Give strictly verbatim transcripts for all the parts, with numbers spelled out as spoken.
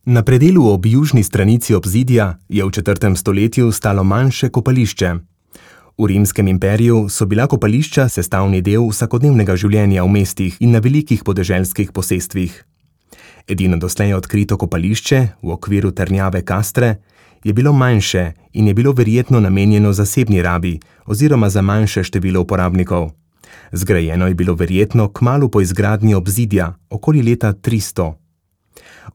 Na predelu ob južni stranici obzidja je v četrtem stoletju stalo manjše kopališče. V rimskem imperiju so bila kopališča sestavni del vsakodnevnega življenja v mestih in na velikih podeželskih posestvih. Edino doslej odkrito kopališče v okviru trdnjave Castre je bilo manjše in je bilo verjetno namenjeno zasebni rabi oziroma za manjše število uporabnikov. Zgrajeno je bilo verjetno kmalu po izgradnji obzidja, okoli leta tristo.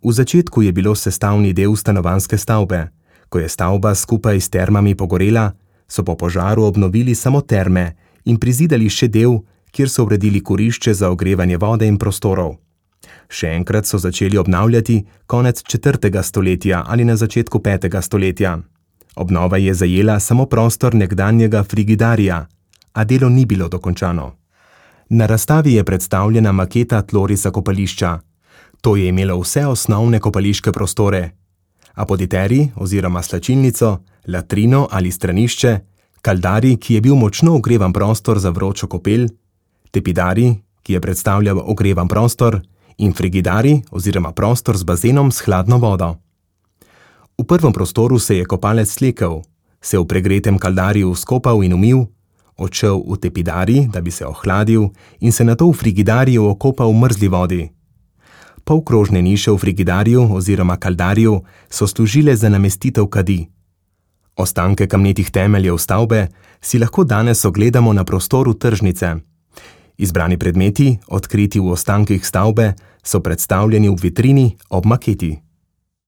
V začetku je bilo sestavni del stanovanjske stavbe. Ko je stavba skupaj s termami pogorela, so po požaru obnovili samo terme in prizidali še del, kjer so uredili kurišče za ogrevanje vode in prostorov. Še enkrat so začeli obnavljati konec četrtega stoletja ali na začetku petega stoletja. Obnova je zajela samo prostor nekdanjega frigidarija, a delo ni bilo dokončano. Na razstavi je predstavljena maketa tlorisa kopališča. To je imelo vse osnovne kopališke prostore: apoditeri oziroma slačilnico, latrino ali stranišče, kaldari, ki je bil močno ogrevan prostor za vročo kopel, tepidari, ki je predstavljal ogrevan prostor, in frigidari oziroma prostor z bazenom s hladno vodo. V prvem prostoru se je kopalec slekel, se v pregretem kaldariju skopal in umil, odšel v tepidari, da bi se ohladil, in se nato v frigidariju okopal v mrzli vodi. Polkrožne niše v frigidariju oziroma kaldariju so služile za namestitev kadi. Ostanke kamnitih temeljev stavbe si lahko danes ogledamo na prostoru tržnice. Izbrani predmeti, odkriti v ostankih stavbe, so predstavljeni v vitrini ob maketi.